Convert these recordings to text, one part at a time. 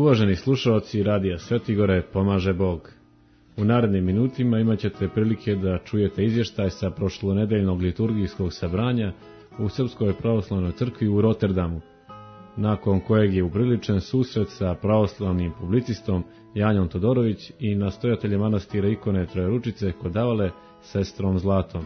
Uvaženi slušalci Radija Svetigore, pomaže Bog. U narednim minutima imat ćete prilike da čujete izvještaj sa prošlonedeljnog liturgijskog sabranja u Srpskoj pravoslavnoj crkvi u Rotterdamu, nakon kojeg je upriličen susret sa pravoslavnim publicistom Janjom Todorović i nastojateljem manastira Ikone Trojeručice kod Davale, sestrom Zlatom.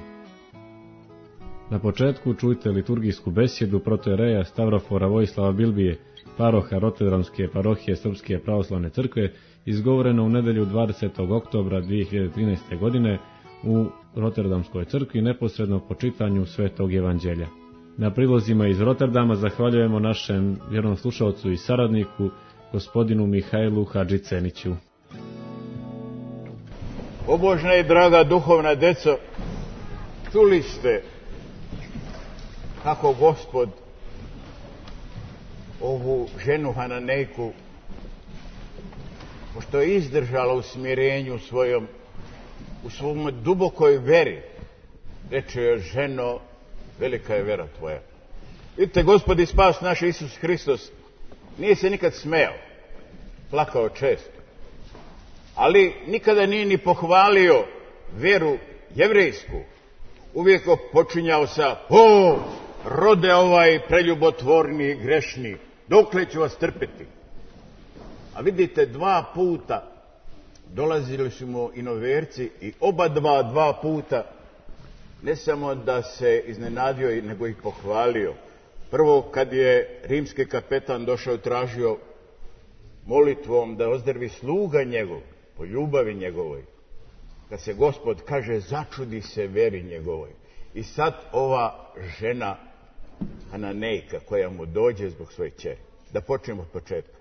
Na početku čujte liturgijsku besjedu protojereja Stavrofora Vojislava Bilbije, paroha Rotterdamske parohije Srpske pravoslavne crkve, izgovoreno u nedelju 20. oktobra 2013. godine u Rotterdamskoj crkvi neposredno po čitanju Svetog evanđelja. Na prilozima iz Rotterdama zahvaljujemo našem vjernom slušalcu i saradniku, gospodinu Mihajlu Hadžiceniću. Pobožna i draga duhovna deco, čuli ste kako Gospod ovu ženu Hananejku, pošto je izdržala u smirenju svojom, u svom dubokoj veri, reče joj: ženo, velika je vera tvoja. Vidite, Gospod i spas naš Isus Hristos nije se nikad smejao, plakao često, ali nikada nije ni pohvalio veru jevrejsku. Uvijek počinjao sa: o, rode ovaj preljubotvorni i grešni, dokle ću vas trpeti? A vidite, 2 puta dolazili su mu inoverci i oba dva puta ne samo da se iznenadio, nego ih pohvalio. Prvo, kad je rimski kapetan došao i tražio molitvom da ozdrvi sluga njegov, po ljubavi njegovoj, kad se Gospod, kaže, začudi se veri njegovoj. I sad ova žena Hananejka koja mu dođe zbog svoje kćeri. Da počnemo od početka.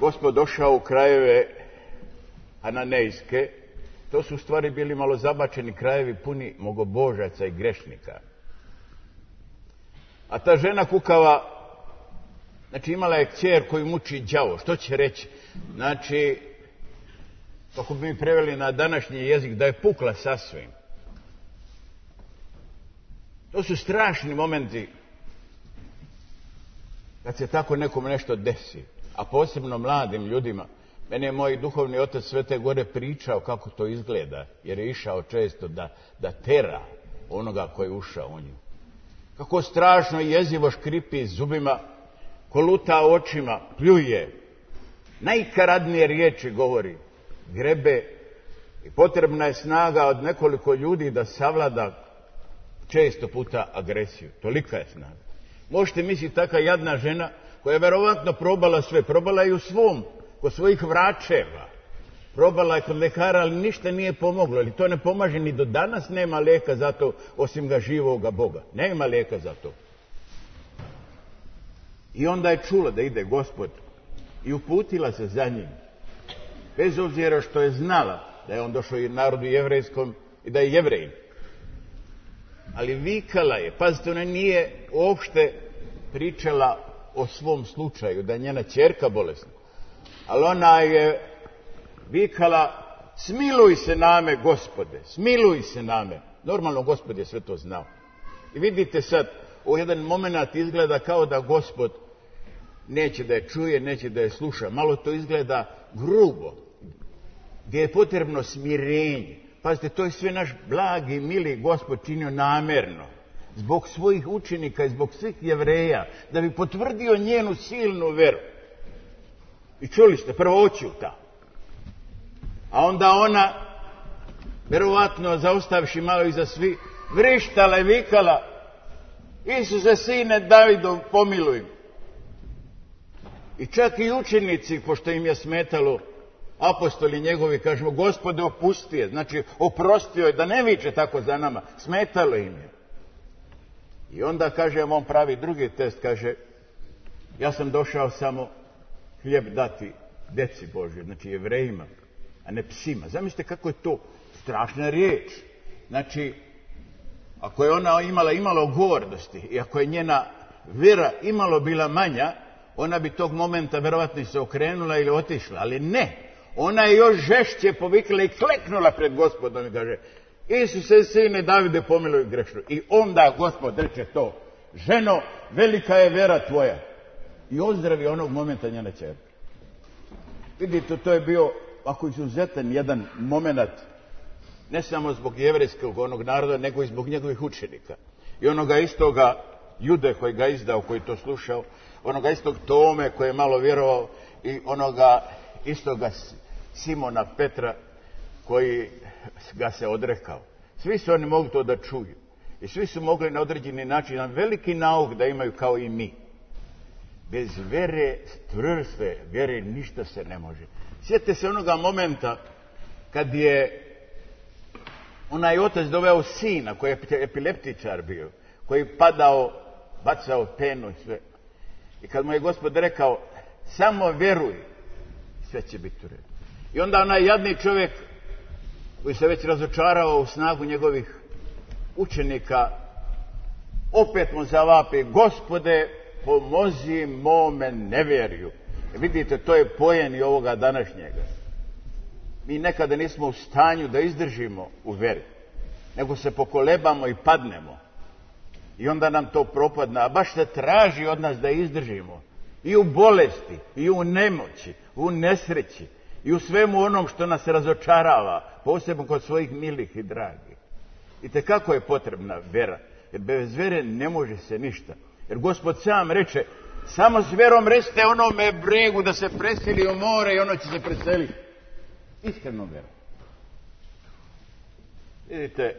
Gospod došao u krajeve Hananejske. To su u stvari bili malo zabačeni krajevi, puni mnogobožaca i grešnika. A ta žena kukava, znači imala je kćer koju muči đavo. Što će reći? Znači, kako bi mi preveli na današnji jezik, da je pukla sasvim. To su strašni momenti kad se tako nekom nešto desi, a posebno mladim ljudima. Mene je moj duhovni otac Svete Gore pričao kako to izgleda, jer je išao često da tera onoga koji je ušao u nju. Kako strašno i jezivo škripi zubima, koluta očima, pljuje, najkaradnije riječi govori, grebe, i potrebna je snaga od nekoliko ljudi da savlada često puta agresiju. Tolika je snaga. Možete misliti, taka jadna žena koja je verovatno probala sve, probala i u svom, kod svojih vračeva, probala je kod lekara, ali ništa nije pomoglo. Ali to ne pomaže, ni do danas nema lijeka za to, osim ga živoga Boga. Nema lijeka za to. I onda je čula da ide Gospod i uputila se za njim. Bez obzira što je znala da je on došao i narodu jevrejskom i da je Jevrejin. Ali vikala je, pazite, ona nije uopšte pričala o svom slučaju, da je njena ćerka bolesna. Ali ona je vikala: smiluj se name, Gospode, smiluj se name. Normalno, Gospod je sve to znao. I vidite sad, u jedan moment izgleda kao da Gospod neće da je čuje, neće da je sluša. Malo to izgleda grubo, gdje je potrebno smirenje. Pazite, to je sve naš blagi i mili Gospod činio namerno, zbog svojih učenika i zbog svih Jevreja, da bi potvrdio njenu silnu veru. I čuli ste, prvo oćuta, a onda ona, verovatno zaustavši malo iza svi, vrištala i vikala: Isuse, sine Davidov, pomiluj. I čak i učenici, pošto im je smetalo, apostoli njegovi, kažemo: Gospode, opusti je, znači oprostio je, da ne viče tako za nama, smetalo im je. I onda, kaže, on pravi drugi test, kaže: ja sam došao samo hljeb dati deci Božjoj, znači Jevrejima, a ne psima. Zamislite kako je to strašna riječ. Znači, ako je ona imala gordosti i ako je njena vera imalo bila manja, ona bi tog momenta verovatno se okrenula ili otišla, ali ne. Ona je još žešće povikla i kleknula pred Gospodom i kaže: Isuse, sine Davide, pomiluj grešnu. I onda Gospod reče to: ženo, velika je vera tvoja. i ozdravi onog momenta njena ćerka. Vidite, to je bio ako izuzetan jedan moment, ne samo zbog jevrejskog onog naroda, nego i zbog njegovih učenika. I onoga istoga Jude koji ga izdao, koji to slušao, onoga istog Tome koji je malo vjerovao i onoga istoga Simona Petra koji ga se odrekao. Svi su oni mogli to da čuju. I svi su mogli na određeni način, na veliki nauk da imaju kao i mi. Bez vere, čvrste vere, ništa se ne može. Sjetite se onoga momenta kad je onaj otac doveo sina koji je epileptičar bio, koji je padao, bacao penu i sve. I kad mu je Gospod rekao, samo vjeruj, sve će biti u redu. I onda onaj jadni čovjek koji se već razočarao u snagu njegovih učenika, opet mu zavapi, Gospode, pomozi mome nevjerju. Vidite, to je pojen i ovoga današnjega. Mi nekada nismo u stanju da izdržimo u veri, nego se pokolebamo i padnemo. I onda nam to propadne, a baš se traži od nas da izdržimo. I u bolesti, i u nemoći, u nesreći, i u svemu onom što nas razočarava, posebno kod svojih milih i dragih. I tekako je potrebna vera, jer bez vere ne može se ništa. Jer Gospod sam reče, samo s vjerom recite onome bregu da se preseli u more i ono će se preseliti. Iskreno vjerom. Vidite,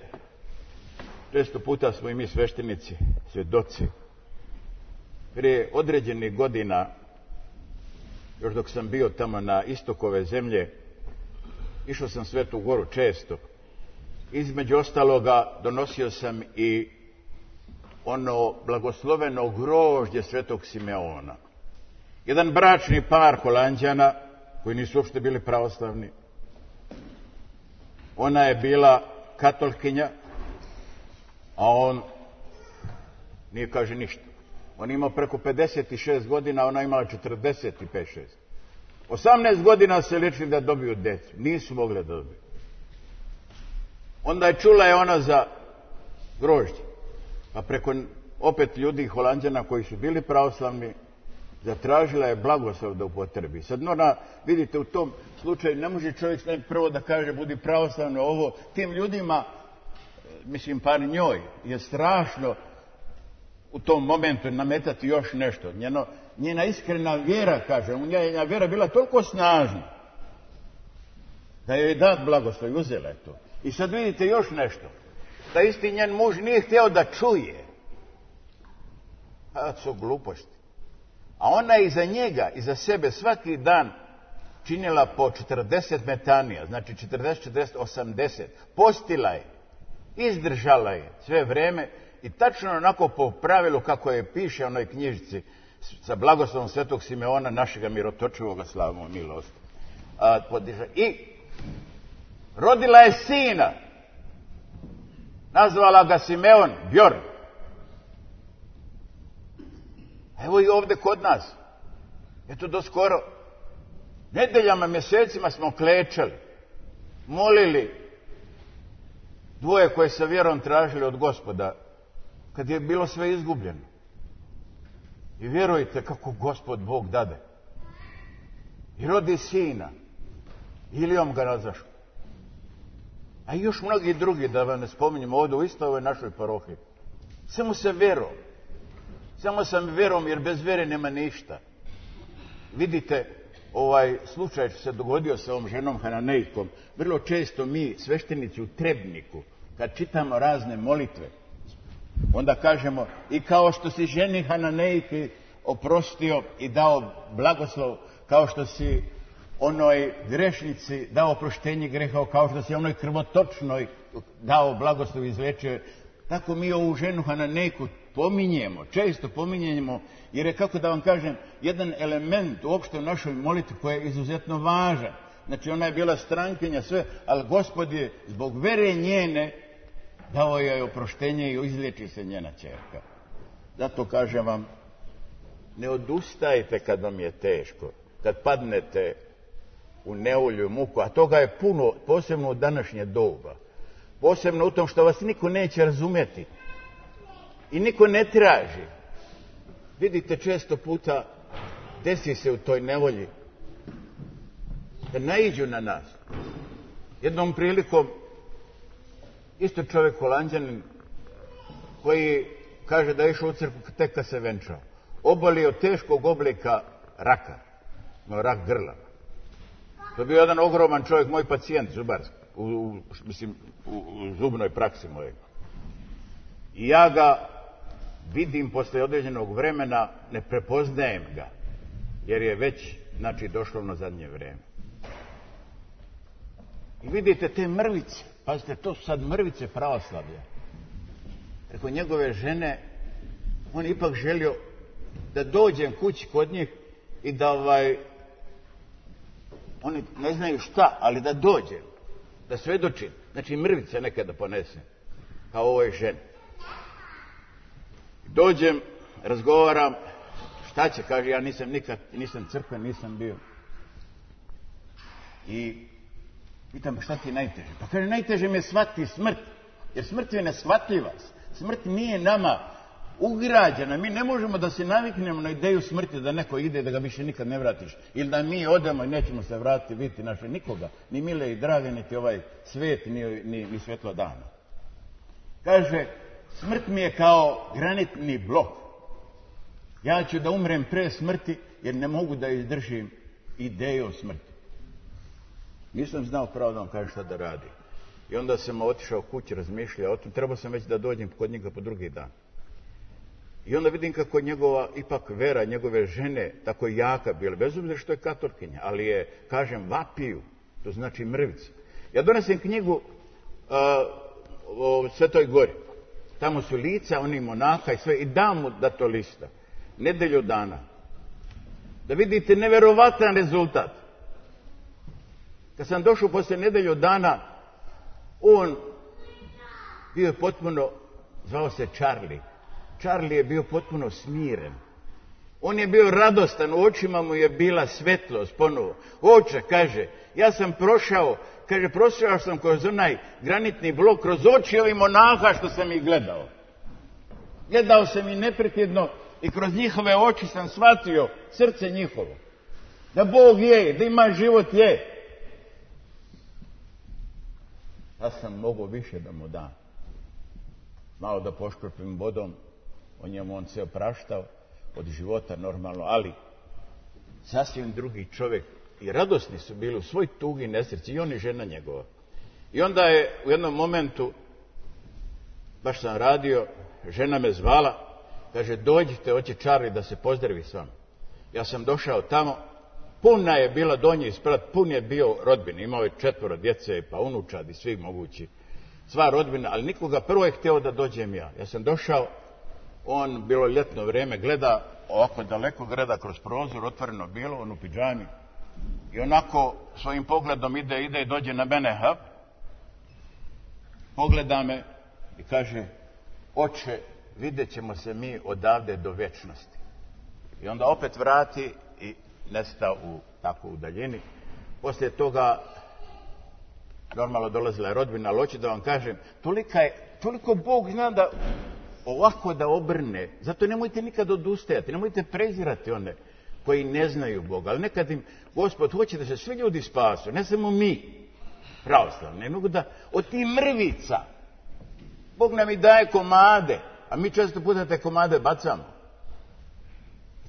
često puta smo i mi sveštenici, svjedoci. Prije određenih godina, još dok sam bio tamo na istoku ove zemlje, išao sam Svetu Goru često. Između ostaloga donosio sam i ono blagosloveno grožđe Svetog Simeona. Jedan bračni par Holanđana, koji nisu uopšte bili pravoslavni. Ona je bila katolkinja, a on nije kaže ništa. On imao preko 56 godina, a ona imala 45-6. 18 godina se ličili da dobiju djecu. Nisu mogli da dobiju. Onda je čula je ona za grožđe. Pa preko opet ljudi Holanđana koji su bili pravoslavni, zatražila je blagoslov da upotrebi. Sad ona, vidite, u tom slučaju ne može čovjek prvo da kaže budi pravoslavno ovo. Tim ljudima, mislim par njoj, je strašno u tom momentu nametati još nešto. Njena iskrena vjera, kaže, njena vjera bila toliko snažna da joj je dat blagoslov i uzela je to. I sad vidite još nešto. Da isti njen muž nije htio da čuje. A to su gluposti. A ona je iza njega, iza sebe svaki dan činila po 40 metanija, znači 40, 40, 80. Postila je, izdržala je sve vrijeme i tačno onako po pravilu kako je piše u onoj knjižici sa blagoslovom Svetog Simeona, našega mirotočivoga, slavimo milost. I rodila je sina. Nazvala ga Simeon, Bjorn. Evo i ovdje kod nas. Eto do skoro. Nedeljama, mjesecima smo klečali, molili, dvoje koje sa vjerom tražili od Gospoda, kad je bilo sve izgubljeno. I vjerujte kako Gospod Bog dade. I rodi sina. Ilijom ga nazašao. A i još mnogi drugi, da vam ne spominjemo ovdje u istoj ovoj našoj parohiji. Samo sa vjerom. Samo sam vjerom, jer bez vjere nema ništa. Vidite, ovaj slučaj se dogodio sa ovom ženom Hananejkom. Vrlo često mi, sveštenici u Trebniku, kad čitamo razne molitve, onda kažemo, i kao što si ženi Hananejki oprostio i dao blagoslov, kao što si onoj grešnici dao oproštenje greha, kao što si onoj krvotočnoj dao blagoslov i izlečio, tako mi ovu ženu Hananejku pominjemo, često pominjemo, jer je, kako da vam kažem, jedan element uopšte u našoj molitvi koji je izuzetno važan. Znači, ona je bila strankinja, sve, ali Gospod je zbog vere njene dao joj oproštenje i izliječi se njena ćerka. Zato kažem vam, ne odustajte kad vam je teško, kad padnete u nevolju i muku, a toga je puno, posebno u današnje doba. Posebno u tom što vas niko neće razumjeti i niko ne traži. Vidite, često puta desi se u toj nevolji da naiđu na nas. Jednom prilikom isto čovjek Holanđanin koji kaže da je išao u crkvu tek kad se venčao. Obolio teškog oblika raka, rak grla. To je bio jedan ogroman čovjek, moj pacijent zubarski, u zubnoj praksi mojeg. I ja ga vidim posle određenog vremena, ne prepoznajem ga, jer je već, znači, došlo na zadnje vreme. I vidite te mrvice, pazite, to su sad mrvice pravoslavlja. Preko njegove žene, on je ipak želio da dođem kući kod njih i da oni ne znaju šta, ali da dođem, da svedočim. Znači mrvice nekada ponesem, kao ovoj ženi. Dođem, razgovaram, šta će, kaže, ja nisam crkven, nisam bio. I pitam, šta ti je najteže? Pa kaže, najteže mi je shvatiti smrt, jer smrt je neshvatljiva. Smrt nije nama ugrađena. Mi ne možemo da se naviknemo na ideju smrti, da neko ide da ga više nikad ne vratiš. Ili da mi odemo i nećemo se vratiti, vidjeti naše nikoga. Ni mile i drage, niti ovaj svet, ni svjetlo dana. Kaže, smrt mi je kao granitni blok. Ja ću da umrem pre smrti, jer ne mogu da izdržim ideju o smrti. Nisam znao pravo da vam kaže šta da radi. I onda sam otišao kući, razmišljao o tom. Trebao sam već da dođem kod njega po drugi dan. I onda vidim kako njegova ipak vera, njegove žene tako jaka bila, bez obzira što je katolkinja, ali je, kažem, vapiju, to znači mrvice. Ja donesem knjigu o Svetoj Gori. Tamo su lica, oni monaha i sve, i dam mu da to lista. Nedelju dana. Da vidite neverovatan rezultat. Kad sam došao posle nedelju dana, on bio je potpuno, zvao se Charlie. Charlie je bio potpuno smiren. On je bio radostan, u očima mu je bila svetlost ponovo. Oče, kaže, ja sam prošao sam kroz onaj granitni blok, kroz oči ovih monaha što sam ih gledao. Gledao sam ih neprekidno i kroz njihove oči sam shvatio srce njihovo. Da Bog je, da ima život je. Ja sam mogao više da mu dam. Malo da poškropim vodom, o njemu on se opraštao, od života normalno, ali sasvim drugi čovjek. I radosni su bili u svoj tugi nesreći, i on i žena njegova. I onda je u jednom momentu, baš sam radio, žena me zvala, kaže, dođite, hoće Charlie da se pozdravi s vama. Ja sam došao tamo, puna je bila donji sprat, pun je bio rodbine, imao je 4 djece, pa unučadi, svi mogući, sva rodbina, ali nikoga, prvo je htio da dođem ja. Ja sam došao, on, bilo ljetno vrijeme, gleda, ovako daleko gleda kroz prozor, otvoreno bilo, on u pidžami, i onako svojim pogledom ide i dođe na mene, pogleda me i kaže, oče, vidjet ćemo se mi odavde do vječnosti. I onda opet vrati i nesta u takvu daljini. Poslije toga normalno dolazila je rodbina, ali hoću da vam kažem, toliko Bog zna da ovako da obrne. Zato nemojte nikad odustajati, nemojte prezirati one koji ne znaju Boga. Ali nekad im Gospod hoće da se svi ljudi spasu, ne samo mi, pravoslavni. Ne mogu da od tih mrvica Bog nam i daje komade, a mi često puta te komade bacamo.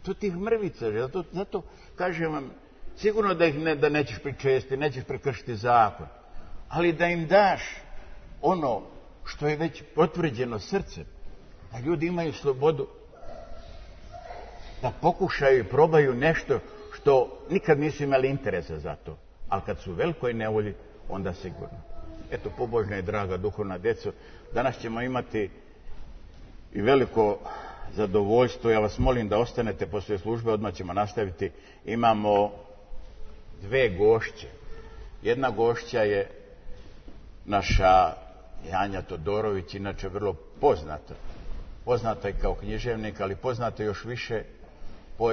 To tih mrvica, zato kažem vam, sigurno da nećeš pričesti, nećeš prekršiti zakon, ali da im daš ono što je već potvrđeno srcem, da ljudi imaju slobodu da pokušaju i probaju nešto što nikad nisu imali interesa za to, ali kad su u velikoj nevolji, onda sigurno. Eto, pobožna i draga duhovna djeco, danas ćemo imati i veliko zadovoljstvo. Ja vas molim da ostanete poslije službe, odmah ćemo nastaviti. Imamo 2 gošće. Jedna gošća je naša Janja Todorović, inače vrlo poznata. Poznata je kao književnik, ali poznata još više po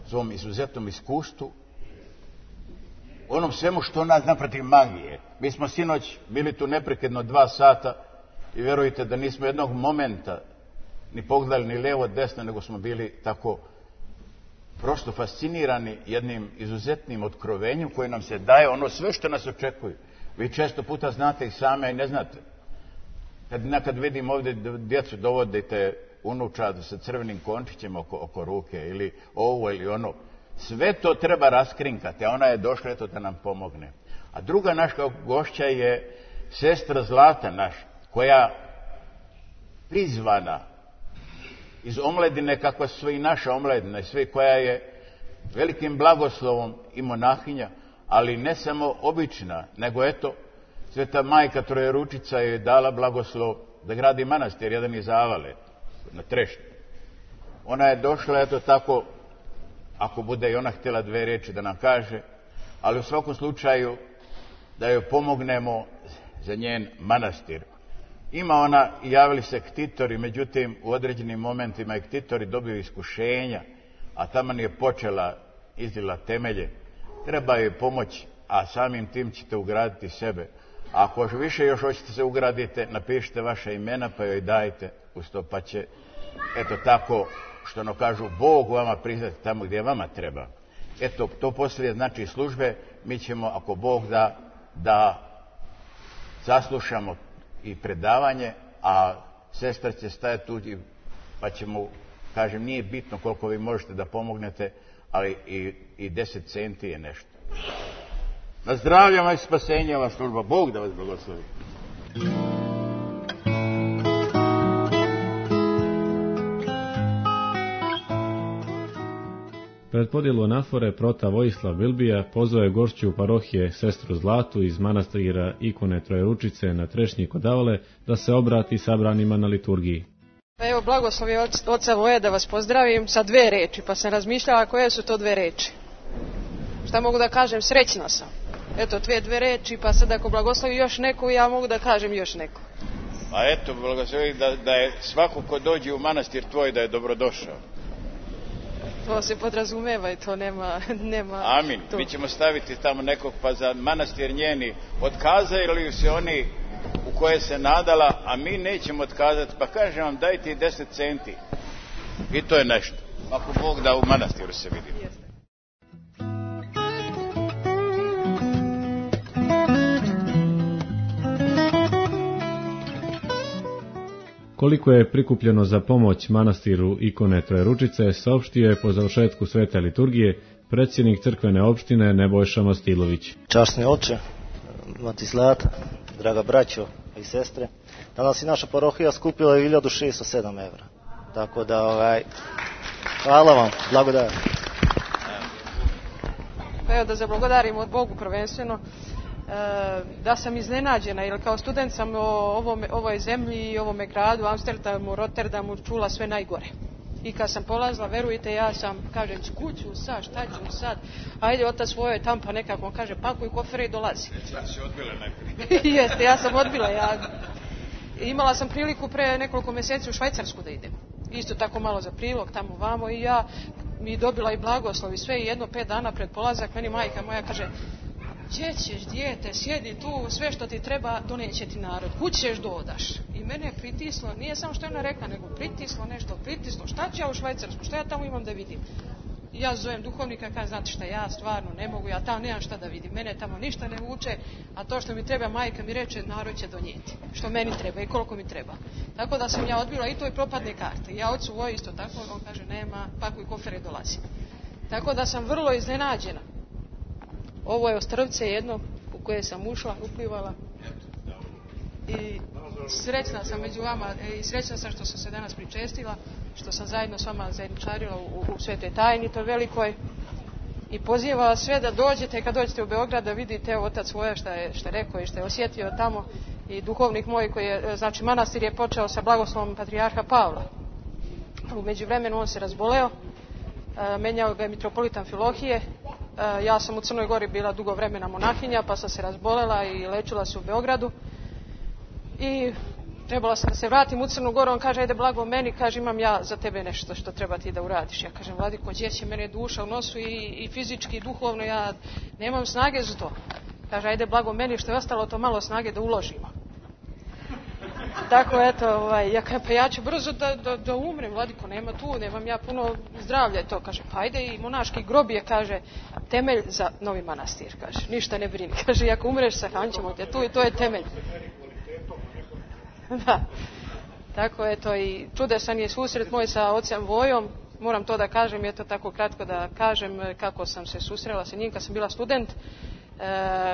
svom izuzetnom iskustvu, onom svemu što ona zna protiv magije. Mi smo sinoć bili tu neprekidno 2 sata i vjerujte da nismo jednog momenta ni pogledali ni lijevo, desno, nego smo bili tako prosto fascinirani jednim izuzetnim otkrovenjem koje nam se daje, ono sve što nas očekuje. Vi često puta znate i same i ne znate. Kad vidim ovdje djecu dovodite unučad sa crvenim končićem oko ruke ili ovo ili ono, sve to treba raskrinkati, a ona je došla eto da nam pomogne. A druga naša gošća je sestra Zlata naša, koja prizvana iz omledine, kakva su i naša omledina i sve, koja je velikim blagoslovom i monahinja, ali ne samo obična, nego eto, Sveta majka Trojeručica je dala blagoslov da gradi manastir, jedan iz Avale, na Trešti. Ona je došla, eto tako, ako bude i ona htjela 2 riječi da nam kaže, ali u svakom slučaju da joj pomognemo za njen manastir. Ima ona, javili se ktitori, međutim u određenim momentima i ktitori dobiju iskušenja, a taman je počela, izdila temelje. Treba joj pomoći, a samim tim ćete ugraditi sebe. A ako više još hoćete se ugradite, napišite vaše imena pa joj dajte uz to, pa će, eto tako, što ono kažu, Bog vama priznati tamo gdje vama treba. Eto, to poslije znači službe, mi ćemo, ako Bog da saslušamo i predavanje, a sestra će stajati tu pa ćemo, kažem, nije bitno koliko vi možete da pomognete, ali i 10 centi je nešto. Na zdravlje vam i spasenje ova služba. Bog da vas blagoslovi. Pred podjelu anafore prota Vojislav Bilbija pozvao je gošću parohije sestru Zlatu iz manastira Ikone Trojeručice na Trešnji kod Avale da se obrati sabranima na liturgiji. Pa evo, blagoslov je oca moje da vas pozdravim sa 2 riječi, pa sam razmišljala koje su to 2 riječi. Šta mogu da kažem? Srećna sam. Eto, 2 riječi, pa sad ako blagoslovi još neku, ja mogu da kažem još neku. A eto, blagoslovi da je svako ko dođe u manastir tvoj da je dobrodošao. To se podrazumeva i to nema Amin. Tu. Mi ćemo staviti tamo nekog pa za manastir njeni. Otkazali se oni u koje se nadala, a mi nećemo otkazati, pa kažem vam dajte i 10 centi. I to je nešto. Ako Bog da u manastiru se vidimo. Jeste. Koliko je prikupljeno za pomoć manastiru Ikone Trojeručice, saopštio je po završetku svete liturgije predsjednik crkvene opštine Nebojša Mastilović. Časni oče, mati Zlata, draga braćo i sestre, danas i naša parohija skupila 1607 evra. Tako da, hvala vam, blagodajem. Pa evo da zablagodarim od Bogu prvenstveno, da sam iznenađena, jer kao student sam o ovoj zemlji i ovome gradu, Amsterdamu, Rotterdamu, čula sve najgore. I kad sam polazila, verujte, ja sam, kažem, kuću sad, šta ću sad, ajde otac svoj je tam, pa nekako on kaže, pakuj kofere i dolazi. Ja si odbila najprije. Jeste, ja sam odbila. Imala sam priliku pre nekoliko mjeseci u Švajcarsku da idem. Isto tako malo za prilog, tamo vamo, i ja mi dobila i blagoslov i sve, i 5 dana pred polazak, meni majka moja kaže, gdje ćeš, dijete, sjedi tu, sve što ti treba doneće ti narod, kud ćeš dodaš. I mene je pritislo, nije samo što je ona rekla, nego pritislo, šta ću ja u Švajcarsku, šta ja tamo imam da vidim. I ja zovem duhovnika i kažem, znate šta, ja stvarno ne mogu, ja tamo nemam šta da vidim, mene tamo ništa ne vuče, a to što mi treba, majka mi reče, narod će donijeti, što meni treba i koliko mi treba. Tako da sam ja odbila i to i propadne karte. Ja ocu Voji isto tako, on kaže, nema, pakuj kofere, dolazi. Tako da sam vrlo iznenađena. Ovo je ostrvce jedno u koje sam ušla, uplivala i srećna sam među vama i srećna sam što sam se danas pričestila, što sam zajedno s vama zajedničarila u svetoj tajni, to velikoj, i pozivala sve da dođete, kad dođete u Beograd, da vidite otac svoje što je rekao i što je osjetio tamo, i duhovnik moj koji je, znači manastir je počeo sa blagoslovom patrijarha Pavla. U međuvremenu on se razboleo, menjao ga je mitropolitan Filohije. Ja sam u Crnoj Gori bila dugo vremena monahinja, pa sam se razbolela i lečila se u Beogradu. I trebala sam da se vratim u Crnu Goru, on kaže, ajde blago meni, kaže, imam ja za tebe nešto što treba ti da uradiš. Ja kažem, vladiko, gdje će, mene duša u nosu i fizički i duhovno, ja nemam snage za to. Kaže, ajde blago meni, što je ostalo to malo snage da uložimo. tako eto, ja kažem, pa ja ću brzo da umrem, vladiko, nema tu, nemam ja puno zdravlja. To kaže, pa ajde, i monaški grob je, kaže, temelj za novi manastir, kaže, ništa ne brini, kaže, ako umreš, sahranit ćemo te tu i to je temelj. Da, tako eto, i čudesan je susret moj sa ocem Vojom, moram to da kažem, je to tako kratko da kažem kako sam se susrela sa njim kad sam bila student.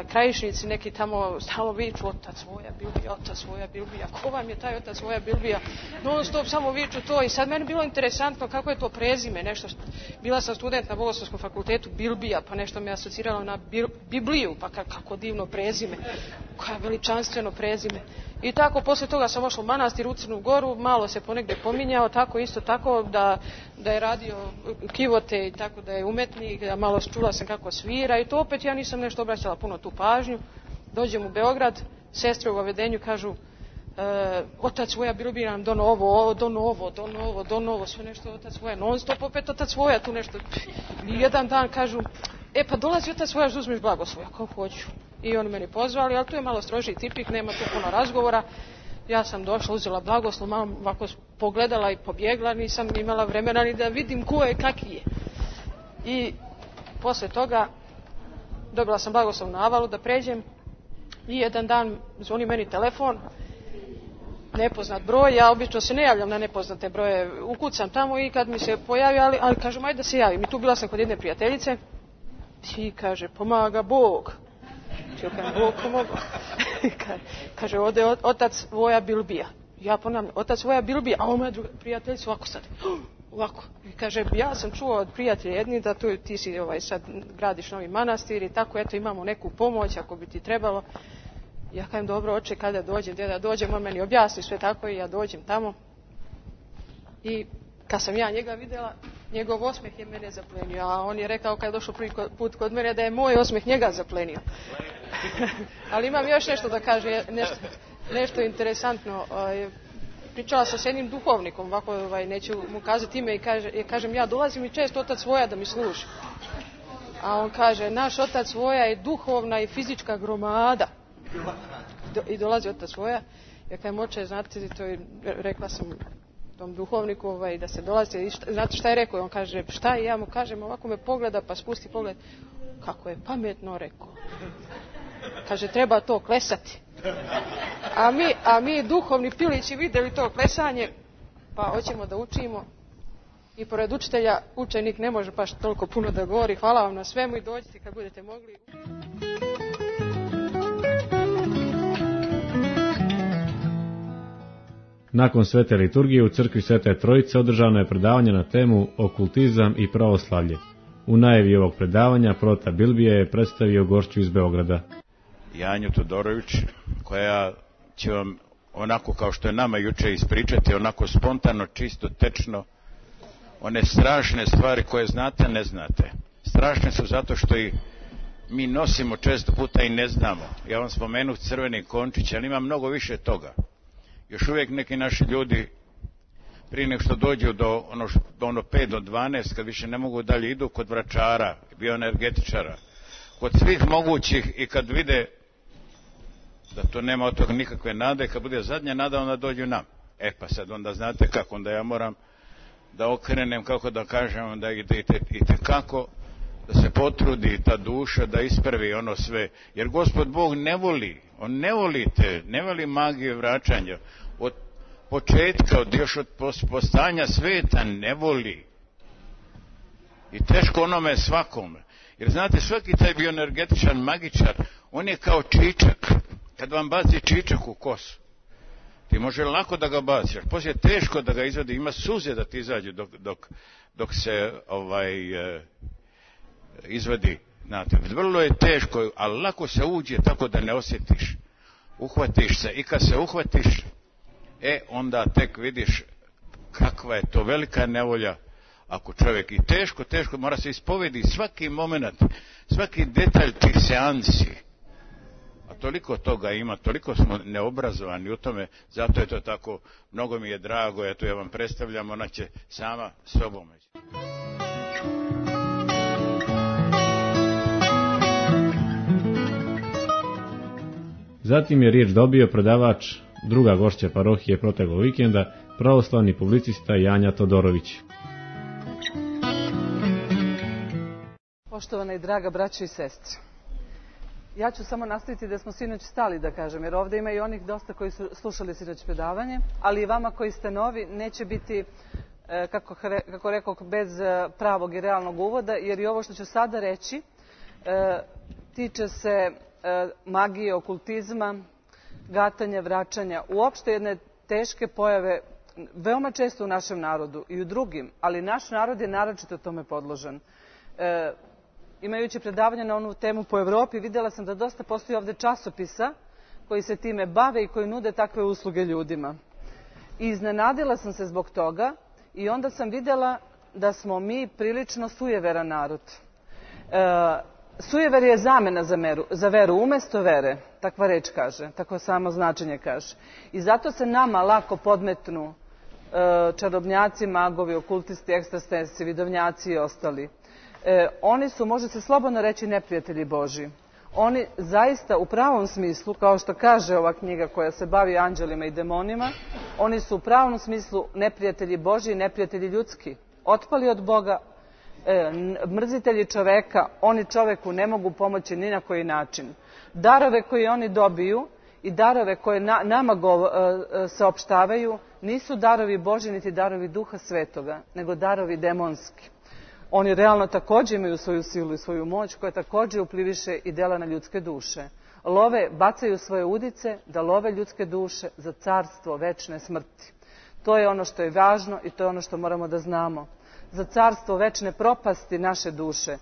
Krajišnici neki tamo stalno viču otac Voja Bilbija, otac Voja Bilbija, ko vam je taj otac Voja Bilbija, non stop samo viču to i sad meni bilo interesantno kako je to prezime, nešto bila sam student na Bogoslovskom fakultetu Bilbija, pa nešto me asociralo na Bibliju, pa kako divno prezime, kako veličanstveno prezime. I tako, poslije toga sam ošla u manastir u Crnu Goru, malo se ponegde pominjao, tako isto tako da je radio kivote i tako da je umetnik, da malo čula sam kako svira i to opet ja nisam nešto obraćala puno tu pažnju. Dođem u Beograd, sestre u Vavedenju kažu otac Voja Bilbija nam donovo, sve nešto otac Voja, non stop opet otac Voja tu nešto. I jedan dan kažu, pa dolazi otac Voja da uzmeš blagoslov, ja kao hoću. I oni meni pozvali, ali tu je malo strožiji tipik, nema tu puno razgovora. Ja sam došla, uzela blagoslov, malo ovako pogledala i pobjegla, nisam imala vremena ni da vidim ko je, kakvi je. I posle toga dobila sam blagoslov na Avalu da pređem i jedan dan zvoni meni telefon, nepoznat broj, ja obično se ne javljam na nepoznate broje, ukucam tamo i kad mi se pojavi, ali kažem ajde da se javim. I tu bila sam kod jedne prijateljice i kaže pomaga Bog. Ja kažem, Bog pomogao. Kaže, ovdje je otac Voja Bilbija. Ja ponavljam, otac Voja Bilbija, a ovo moja druga prijateljica ovako sad. Ovako. I kaže, ja sam čuo od prijatelja jedni da ti si sad gradiš novi manastir i tako, eto imamo neku pomoć ako bi ti trebalo. Ja kažem, dobro, oče, kada dođem, gdje da dođem, on meni objasni sve tako i ja dođem tamo. I kad sam ja njega vidjela, njegov osmeh je mene zaplenio, a on je rekao kad je došao prvi put kod mene da je moj osmeh njega zaplenio. Ali imam još nešto da kaže, nešto interesantno. Pričala sam s jednim duhovnikom, ovako neću mu kazati ime, i kažem ja dolazim i često otac Voja da mi služi. A on kaže, naš otac Voja je duhovna i fizička gromada. I dolazi otac Voja, ja kažem, oče, znate, to je, rekla sam tom duhovniku da se dolazi, znate šta je rekao? On kaže, šta je? Ja mu kažem, ovako me pogleda pa spusti pogled. Kako je pametno rekao. Kaže, treba to klesati. A mi duhovni pilići vidjeli to klesanje, pa hoćemo da učimo. I pored učitelja, učenik ne može baš toliko puno da govori. Hvala vam na svemu i dođite kad budete mogli. Nakon svete liturgije u crkvi Svete Trojice održano je predavanje na temu Okultizam i pravoslavlje. U najavi ovog predavanja prota Bilbija je predstavio gošću iz Beograda. Janju Todorović, koja će vam onako kao što je nama juče ispričati, onako spontano, čisto, tečno, one strašne stvari koje znate, ne znate. Strašne su zato što i mi nosimo često puta i ne znamo. Ja vam spomenuh crveni končić, ali ima mnogo više toga. Još uvijek neki naši ljudi, prije nego što dođu do ono 5 do 12, kad više ne mogu dalje, idu kod vračara, bioenergetičara, kod svih mogućih, i kad vide da to nema od toga nikakve nade, kad bude zadnja nada, onda dođu nam. Pa sad onda znate kako, onda ja moram da okrenem, kako da kažem, da idete kako da se potrudi ta duša da ispravi ono sve, jer Gospod Bog ne voli, on ne voli magiju vraćanja, od početka, još od postanja sveta ne voli, i teško onome svakome, jer znate, svaki taj bioenergetičan magičar, on je kao čičak, kad vam baci čičak u kosu, ti može lako da ga baciš, poslije je teško da ga izvadi, ima suze da ti izađu dok se izvadi, znate, vrlo je teško, ali lako se uđe tako da ne osjetiš, uhvatiš se, i kad se uhvatiš, onda tek vidiš kakva je to velika nevolja, ako čovjek, i teško, mora se ispovedi svaki moment, svaki detalj tih seansi, a toliko toga ima, toliko smo neobrazovani u tome, zato je to tako, mnogo mi je drago, ja vam predstavljam, ona će sama sobom. Zatim je riječ dobio predavač druga gošća parohije proteklog vikenda, pravoslavni publicista Janja Todorović. Poštovana i draga braćo i sestre, ja ću samo nastaviti da smo sinoć stali, da kažem, jer ovdje ima i onih dosta koji su slušali sinoć predavanje, ali i vama koji ste novi neće biti, kako rekao, bez pravog i realnog uvoda, jer i ovo što ću sada reći tiče se magije, okultizma, gatanja, vraćanja, uopšte jedne teške pojave veoma često u našem narodu i u drugim, ali naš narod je naročito tome podložan. Imajući predavanje na onu temu po Evropi, vidjela sam da dosta postoji ovdje časopisa koji se time bave i koji nude takve usluge ljudima. I iznenadila sam se zbog toga i onda sam vidjela da smo mi prilično sujeveran narod. Sujever je zamena za veru, umjesto vere, takva reč kaže, tako samo značenje kaže. I zato se nama lako podmetnu čarobnjaci, magovi, okultisti, ekstrasensi, vidovnjaci i ostali. Oni su, može se slobodno reći, neprijatelji Božji. Oni zaista u pravom smislu, kao što kaže ova knjiga koja se bavi anđelima i demonima, oni su u pravom smislu neprijatelji Božji i neprijatelji ljudski. Otpali od Boga, mrzitelji čoveka, oni čoveku ne mogu pomoći ni na koji način. Darove koje oni dobiju i darove koje nama saopštavaju nisu darovi Božji niti darovi Duha Svetoga, nego darovi demonski. Oni realno također imaju svoju silu i svoju moć koja također upliviše i dela na ljudske duše. Bacaju svoje udice da love ljudske duše za carstvo večne smrti. To je ono što je važno i to je ono što moramo da znamo. Za carstvo večne propasti naše duše.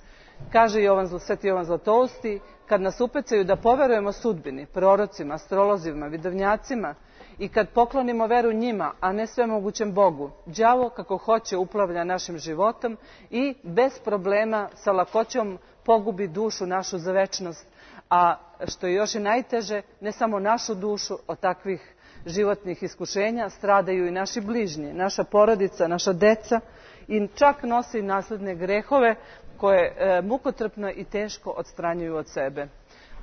Kaže Sveti Jovan Zlatousti, kad nas upecaju da poverujemo sudbini, prorocima, astrolozima, vidovnjacima i kad poklonimo veru njima, a ne svemogućem Bogu, đavo kako hoće uplavlja našim životom i bez problema sa lakoćom pogubi dušu našu za večnost. A što je još i najteže, ne samo našu dušu, od takvih životnih iskušenja stradaju i naši bližnji, naša porodica, naša deca i čak nose i nasledne grehove koje mukotrpno i teško odstranjuju od sebe.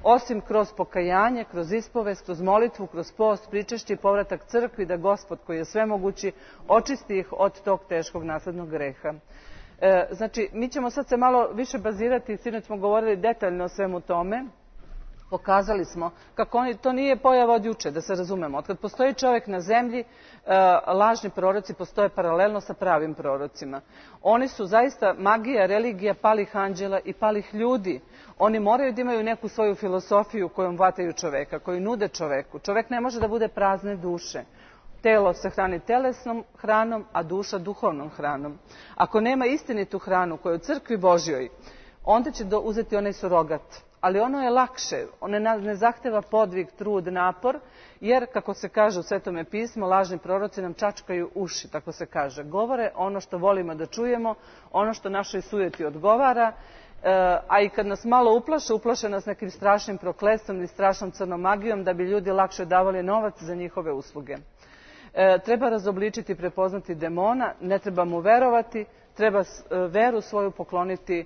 Osim kroz pokajanje, kroz ispovest, kroz molitvu, kroz post, pričešće i povratak crkvi, da Gospod koji je svemogući očisti ih od tog teškog naslednog greha. Znači, mi ćemo sad se malo više bazirati, sinoć smo govorili detaljno o svemu tome, pokazali smo kako to nije pojava od juče, da se razumemo. Od kad postoji čovjek na zemlji, lažni proroci postoje paralelno sa pravim prorocima. Oni su zaista magija, religija palih anđela i palih ljudi. Oni moraju da imaju neku svoju filosofiju kojom vataju čoveka, koju nude čoveku. Čovek ne može da bude prazne duše. Telo se hrani telesnom hranom, a duša duhovnom hranom. Ako nema istinitu hranu koja je u crkvi Božjoj, onda će uzeti onaj surogat. Ali ono je lakše, ono ne zahteva podvig, trud, napor, jer, kako se kaže u Svetome pismu, lažni proroci nam čačkaju uši, tako se kaže. Govore ono što volimo da čujemo, ono što našoj sujeti odgovara, a i kad nas malo uplaše nas nekim strašnim prokletstvom ili strašnom crnom magijom da bi ljudi lakše davali novac za njihove usluge. Treba razobličiti i prepoznati demona, ne treba mu verovati, treba veru svoju pokloniti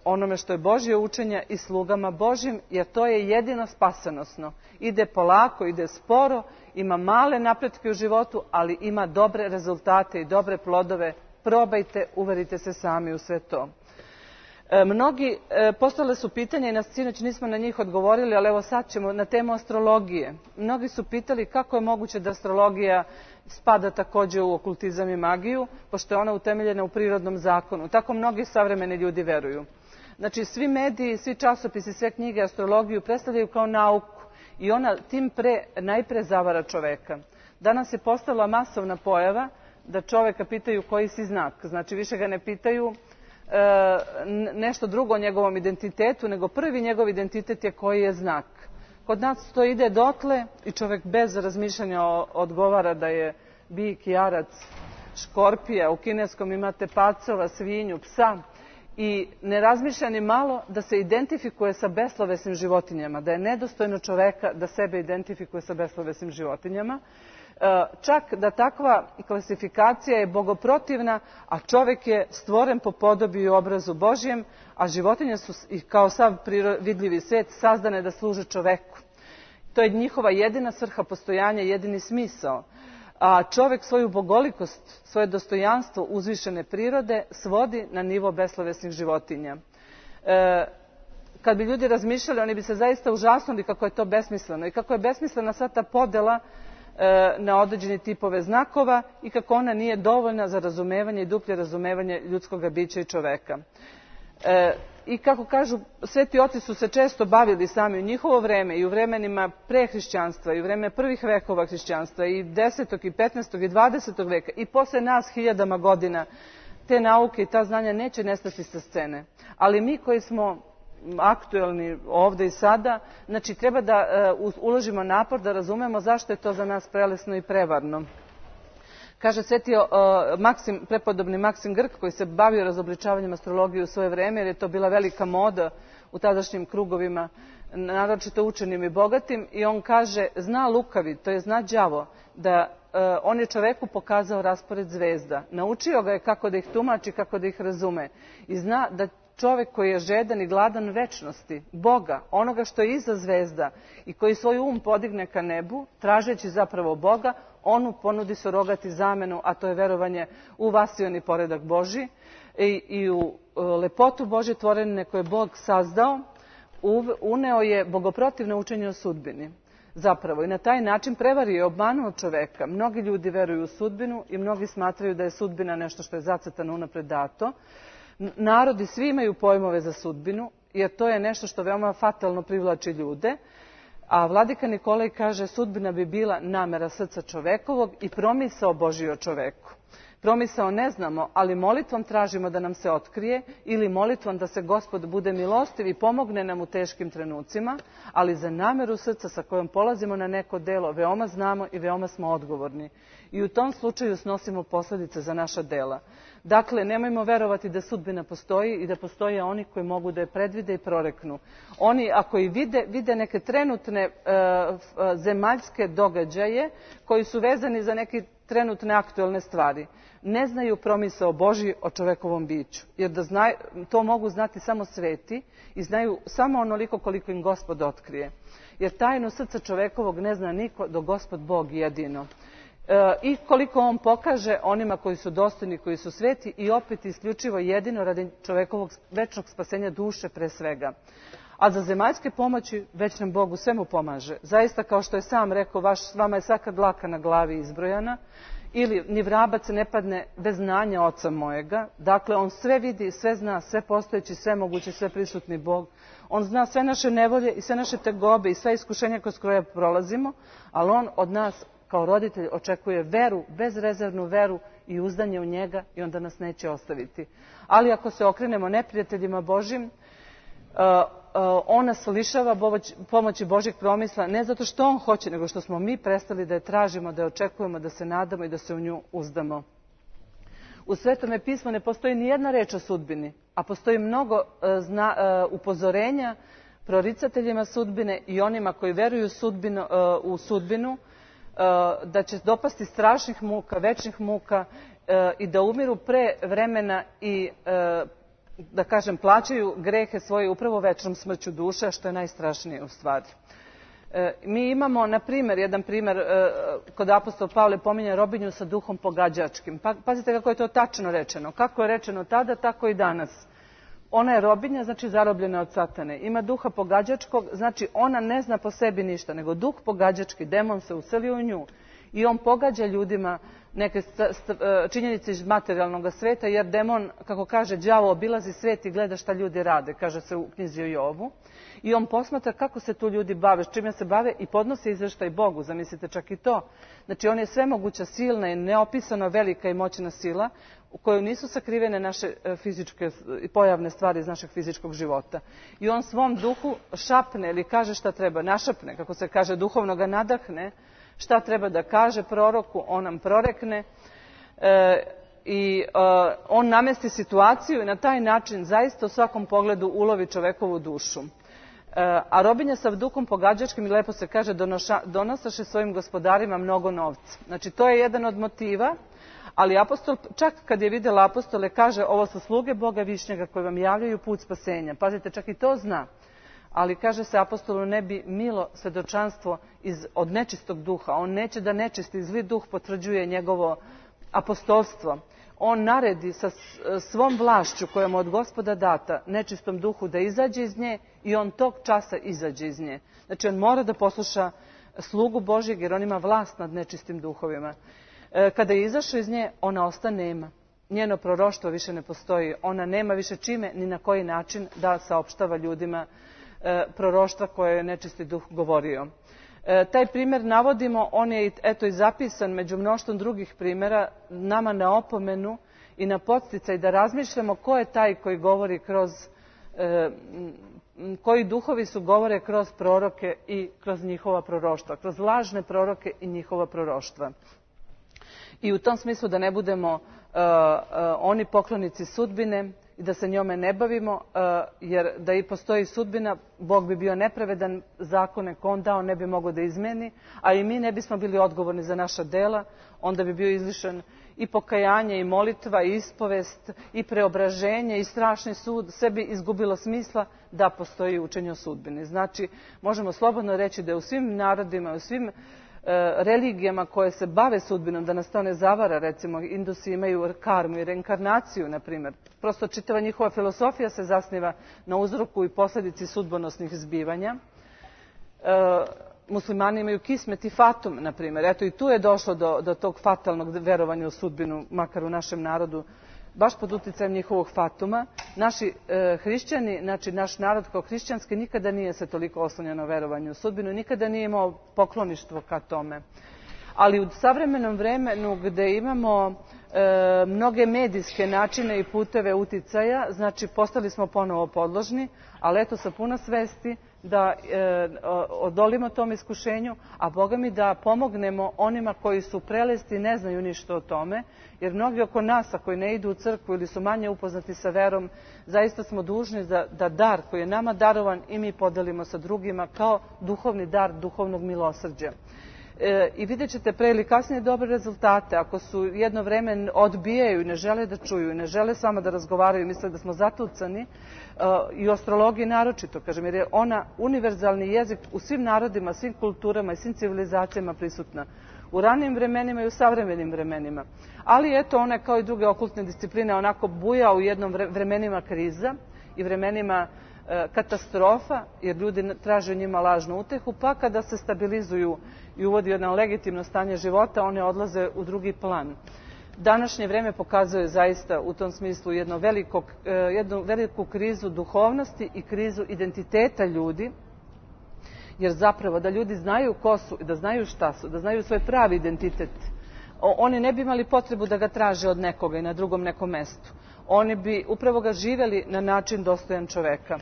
onome što je Božje učenje i slugama Božjim, jer to je jedino spasonosno. Ide polako, ide sporo, ima male napretke u životu, ali ima dobre rezultate i dobre plodove. Probajte, uverite se sami u sve to. Mnogi, postavili su pitanja i sinoć nismo na njih odgovorili, ali evo sad ćemo na temu astrologije. Mnogi su pitali kako je moguće da astrologija spada također u okultizam i magiju, pošto je ona utemeljena u prirodnom zakonu. Tako mnogi savremeni ljudi veruju. Znači, svi mediji, svi časopisi, sve knjige astrologiju predstavljaju kao nauku i ona tim najpre zavara čoveka. Danas je postala masovna pojava da čoveka pitaju koji si znak. Znači, više ga ne pitaju nešto drugo o njegovom identitetu, nego prvi njegov identitet je koji je znak. Kod nas to ide dotle i čovjek bez razmišljanja odgovara da je bik, jarac, škorpija, u kineskom imate pacova, svinju, psa i ne razmišlja ni malo da se identifikuje sa beslovesnim životinjama, da je nedostojno čoveka da sebe identifikuje sa beslovesnim životinjama. Čak da takva klasifikacija je bogoprotivna, a čovjek je stvoren po podobi i obrazu Božjem, a životinje su kao sav vidljivi svijet sazdane da služe čoveku. To je njihova jedina svrha postojanja, jedini smisao. A čovek svoju bogolikost, svoje dostojanstvo uzvišene prirode svodi na nivo beslovesnih životinja. Kad bi ljudi razmišljali, oni bi se zaista užasnuli kako je to besmisleno i kako je besmislena sva ta podela na određene tipove znakova i kako ona nije dovoljna za razumevanje i duplje razumevanje ljudskog bića i čoveka. I kako kažu, sveti oci su se često bavili sami u njihovo vreme i u vremenima pre hrišćanstva i u vreme prvih vekova hrišćanstva i 10. i 15. i 20. veka i posle nas hiljadama godina te nauke i ta znanja neće nestati sa scene. Ali mi koji smo aktuelni ovde i sada, znači treba da uložimo napor da razumemo zašto je to za nas prelesno i prevarno. Kaže sveti prepodobni Maksim Grk, koji se bavio razobličavanjem astrologije u svoje vreme, jer je to bila velika moda u tadašnjim krugovima, naročito učenim i bogatim, i on kaže, zna lukavi, to je zna đavo, da on je čoveku pokazao raspored zvezda. Naučio ga je kako da ih tumači, kako da ih razume. I zna da čovek koji je žedan i gladan večnosti, Boga, onoga što je iza zvezda i koji svoj podigne ka nebu, tražeći zapravo Boga, on mu ponudi surogati zamenu, a to je verovanje u vasioni poredak Božji i u lepotu Božje tvorene koje je Bog sazdao, uneo je bogoprotivno učenje o sudbini. Zapravo, i na taj način prevario i obmanuo čoveka. Mnogi ljudi veruju u sudbinu i mnogi smatraju da je sudbina nešto što je zacrtano unapred dato. Narodi svi imaju pojmove za sudbinu, jer to je nešto što veoma fatalno privlači ljude. A vladika Nikolaj kaže, sudbina bi bila namera srca čovekovog i promisao Božji o čoveku. Promisao ne znamo, ali molitvom tražimo da nam se otkrije ili molitvom da se Gospod bude milostiv i pomogne nam u teškim trenucima, ali za nameru srca sa kojom polazimo na neko delo veoma znamo i veoma smo odgovorni. I u tom slučaju snosimo posljedice za naša dela. Dakle, nemojmo verovati da sudbina postoji i da postoje oni koji mogu da je predvide i proreknu. Oni, ako i vide neke trenutne zemaljske događaje koji su vezani za neke trenutne aktuelne stvari, ne znaju promisao Božji o čovekovom biću. Jer to mogu znati samo sveti i znaju samo onoliko koliko im Gospod otkrije. Jer tajnu srca čovekovog ne zna niko do Gospod Bog jedino. I koliko on pokaže onima koji su dostojni, koji su sveti i opet isključivo jedino radi čovekovog večnog spasenja duše pre svega. A za zemaljske pomoći već nam Bog u svemu pomaže. Zaista, kao što je sam rekao, vama je svaka dlaka na glavi izbrojana, ili ni vrabac ne padne bez znanja Oca mojega. Dakle, on sve vidi, sve zna, sve postojeći, sve mogući, sve prisutni Bog. On zna sve naše nevolje i sve naše tegobe i sve iskušenja kroz koje prolazimo, ali on od nas kao roditelj očekuje veru, bezrezervnu veru i uzdanje u njega i onda nas neće ostaviti. Ali ako se okrenemo neprijateljima Božjim, on nas lišava pomoći Božjeg promisla, ne zato što on hoće, nego što smo mi prestali da je tražimo, da je očekujemo, da se nadamo i da se u nju uzdamo. U Svetome pismu ne postoji ni jedna reč o sudbini, a postoji mnogo upozorenja proricateljima sudbine i onima koji veruju u sudbinu, da će dopasti strašnih muka, večnih muka i da umiru pre vremena i da kažem, plaćaju grehe svoje upravo večnom smrću duše, što je najstrašnije u stvari. Mi imamo, na primjer, jedan primjer, kod apostol Pavle pominje robinju sa duhom pogađačkim. Pazite kako je to tačno rečeno. Kako je rečeno tada, tako i danas. Ona je robinja, znači zarobljena od satane. Ima duha pogađačkog, znači ona ne zna po sebi ništa, nego duh pogađački, demon se uselio u nju i on pogađa ljudima neke činjenice iz materijalnog sveta, jer demon, kako kaže, đavo obilazi svet i gleda šta ljudi rade, kaže se u knjizi o Jovu. I on posmatra kako se tu ljudi bave, s čime se bave i podnosi izveštaj Bogu, zamislite čak i to. Znači on je svemoguća, silna i neopisano velika i moćna sila u kojoj nisu sakrivene naše fizičke i pojavne stvari iz našeg fizičkog života. I on svom duhu šapne ili kaže šta treba, našapne, kako se kaže, duhovno ga nadahne, šta treba da kaže proroku, on nam prorekne i on namesti situaciju i na taj način zaista u svakom pogledu ulovi čovekovu dušu. A robinja sa duhom pogađačkim, i lepo se kaže, donosaše svojim gospodarima mnogo novca. Znači to je jedan od motiva, ali apostol, čak kad je vidjela apostole, kaže ovo su sluge Boga višnjega koji vam javljaju put spasenja. Pazite, čak i to zna. ali kaže se apostolu ne bi milo svedočanstvo od nečistog duha. On neće da nečisti zli duh potvrđuje njegovo apostolstvo. On naredi sa svom vlašću koja mu od Gospoda data nečistom duhu da izađe iz nje i on tog časa izađe iz nje. Znači on mora da posluša slugu Božjeg jer on ima vlast nad nečistim duhovima. Kada je izašao iz nje, ona ostane nema. Njeno proroštvo više ne postoji. Ona nema više čime ni na koji način da saopštava ljudima proroštva koje je nečisti duh govorio. Taj primjer navodimo, on je eto i zapisan među mnoštvom drugih primjera nama na opomenu i na podsticaj da razmišljamo ko je taj koji govori kroz, koji duhovi su govore kroz proroke i kroz njihova proroštva, kroz lažne proroke i njihova proroštva. I u tom smislu da ne budemo oni poklonici sudbine i da se njome ne bavimo, jer da i postoji sudbina, Bog bi bio nepravedan, zakone koje on dao ne bi mogao da izmeni, a i mi ne bismo bili odgovorni za naša dela, onda bi bio izlišan i pokajanje, i molitva, i ispovest, i preobraženje, i strašni sud, sve bi izgubilo smisla da postoji učenje o sudbini. Znači, možemo slobodno reći da je u svim narodima, u svim religijama koje se bave sudbinom, da nas to ne zavara, recimo Indusi imaju karmu i reinkarnaciju, na primjer. Prosto čitava njihova filosofija se zasniva na uzroku i posljedici sudbonosnih zbivanja. Muslimani imaju kismet i fatum, na primjer. Eto i tu je došlo do tog fatalnog verovanja u sudbinu, makar u našem narodu, baš pod utjecajem njihovog fatuma. Naši hrišćani, znači naš narod kao hrišćanski nikada nije se toliko oslonjeno na verovanju u sudbinu, nikada nije imao pokloništvo ka tome. Ali u savremenom vremenu gdje imamo mnoge medijske načine i puteve uticaja, znači postali smo ponovo podložni, ali eto sa puno svesti da odolimo tom iskušenju, a Boga mi da pomognemo onima koji su prelesti i ne znaju ništa o tome, jer mnogi oko nas, koji ne idu u crkvu ili su manje upoznati sa verom, zaista smo dužni da dar koji je nama darovan i mi podelimo sa drugima kao duhovni dar duhovnog milosrđa. I vidjet ćete pre ili kasnije dobre rezultate. Ako su jedno vreme odbijaju i ne žele da čuju i ne žele s vama da razgovaraju i misle da smo zatucani, i u astrologiji naročito, kažem, jer je ona univerzalni jezik u svim narodima, svim kulturama i svim civilizacijama prisutna. U ranijim vremenima i u savremenim vremenima. Ali eto, ona kao i druge okultne discipline onako buja u jednom vremenima kriza i vremenima katastrofa, jer ljudi traže njima lažnu utehu, pa kada se stabilizuju i uvodi jedno legitimno stanje života, one odlaze u drugi plan. Današnje vreme pokazuje zaista u tom smislu jednu veliku krizu duhovnosti i krizu identiteta ljudi, jer zapravo da ljudi znaju ko su i da znaju šta su, da znaju svoj pravi identitet, oni ne bi imali potrebu da ga traže od nekoga i na drugom nekom mestu. Oni bi upravo ga živjeli na način dostojan čoveka.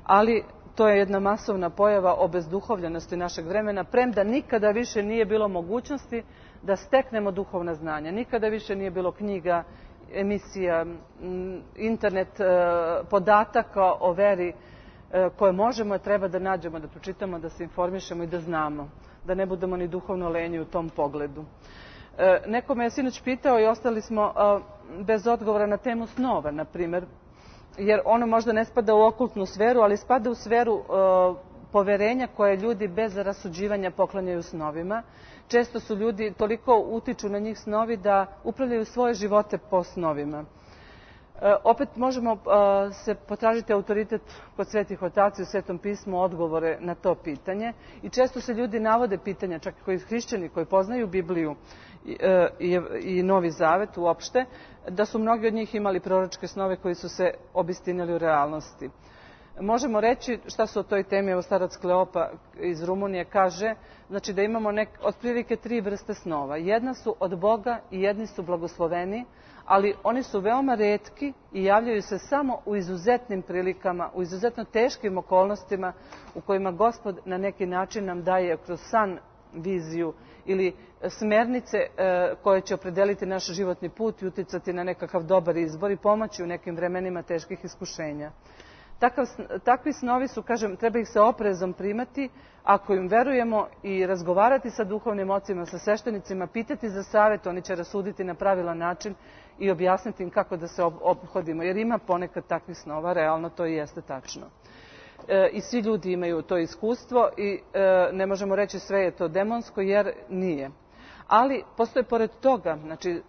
Ali to je jedna masovna pojava obezduhovljenosti našeg vremena, premda nikada više nije bilo mogućnosti da steknemo duhovna znanja. Nikada više nije bilo knjiga, emisija, internet, podataka o veri koje možemo i treba da nađemo, da pročitamo, da se informišemo i da znamo. Da ne budemo ni duhovno lenji u tom pogledu. Neko me je sinoć pitao i ostali smo bez odgovora na temu snova, na primjer, jer ono možda ne spada u okultnu sferu, ali spada u sferu poverenja koje ljudi bez rasuđivanja poklanjaju snovima. Često su ljudi toliko utiču na njih snovi da upravljaju svoje živote po snovima. Opet možemo se potražiti autoritet kod svetih otaca i u Svetom pismu odgovore na to pitanje. I često se ljudi navode pitanja, čak i koji hrišćani koji poznaju Bibliju i Novi Zavet uopšte, da su mnogi od njih imali proročke snove koji su se obistinili u realnosti. Možemo reći šta su o toj temi, evo starac Kleopa iz Rumunije kaže, znači da imamo otprilike 3 vrste snova. Jedna su od Boga i jedni su blagosloveni, ali oni su veoma retki i javljaju se samo u izuzetnim prilikama, u izuzetno teškim okolnostima u kojima Gospod na neki način nam daje kroz san viziju ili smernice koje će opredeliti naš životni put i uticati na nekakav dobar izbor i pomoći u nekim vremenima teških iskušenja. Takvi snovi su, kažem, treba ih se oprezom primati ako im verujemo i razgovarati sa duhovnim ocima, sa sveštenicima, pitati za savjet, oni će rasuditi na pravilan način i objasniti im kako da se ophodimo, jer ima ponekad takvih snova, realno to i jeste tačno. i svi ljudi imaju to iskustvo i ne možemo reći sve je to demonsko jer nije. Ali postoje pored toga, znači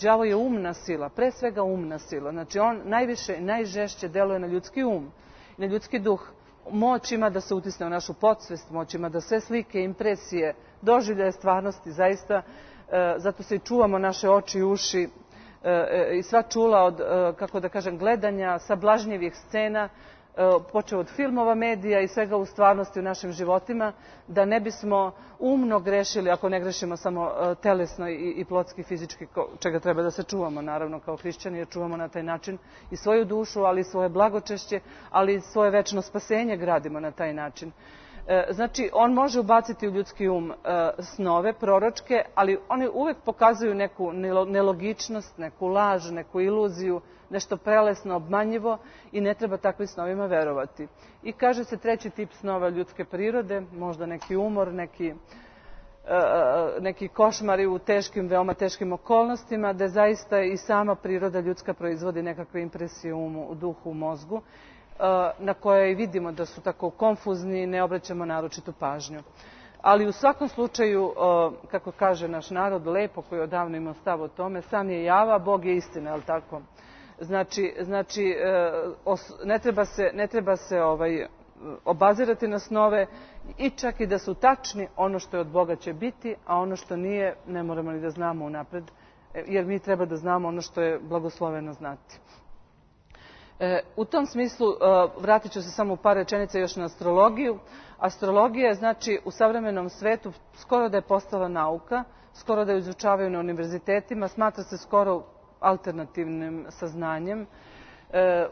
đavo je umna sila, pre svega umna sila, znači on najviše i najžešće deluje na ljudski um, na ljudski duh. Moć ima da se utisne u našu podsvest, moć ima da sve slike, impresije, doživljaje stvarnosti, zaista, zato se i čuvamo naše oči i uši i sva čula od, kako da kažem, gledanja sablažnjivih scena, počeo od filmova, medija i svega u stvarnosti u našim životima, da ne bismo umno grešili, ako ne grešimo samo telesno i plotski, fizički, čega treba da se čuvamo, naravno, kao hrišćani, jer čuvamo na taj način i svoju dušu, ali i svoje blagočešće, ali i svoje večno spasenje gradimo na taj način. Znači, on može ubaciti u ljudski um snove, proročke, ali oni uvek pokazuju neku nelogičnost, neku laž, neku iluziju, nešto prelesno, obmanjivo i ne treba takvim snovima verovati. I kaže se treći tip snova ljudske prirode, možda neki umor, neki košmari u teškim, veoma teškim okolnostima, da zaista i sama priroda ljudska proizvodi nekakve impresije u duhu, u mozgu, na koje i vidimo da su tako konfuzni i ne obraćamo naročitu pažnju. Ali u svakom slučaju, kako kaže naš narod, lepo koji odavno ima stav o tome, sam je java, Bog je istina, je li tako? Znači ne treba se obazirati na snove i čak i da su tačni, ono što je od Boga će biti, a ono što nije ne moramo ni da znamo unapred, jer mi treba da znamo ono što je blagosloveno znati. U tom smislu vratit ću se samo u par rečenica još na astrologiju. Astrologija je, znači, u savremenom svetu skoro da je postala nauka, skoro da je izučavaju na univerzitetima, smatra se skoro alternativnim saznanjem.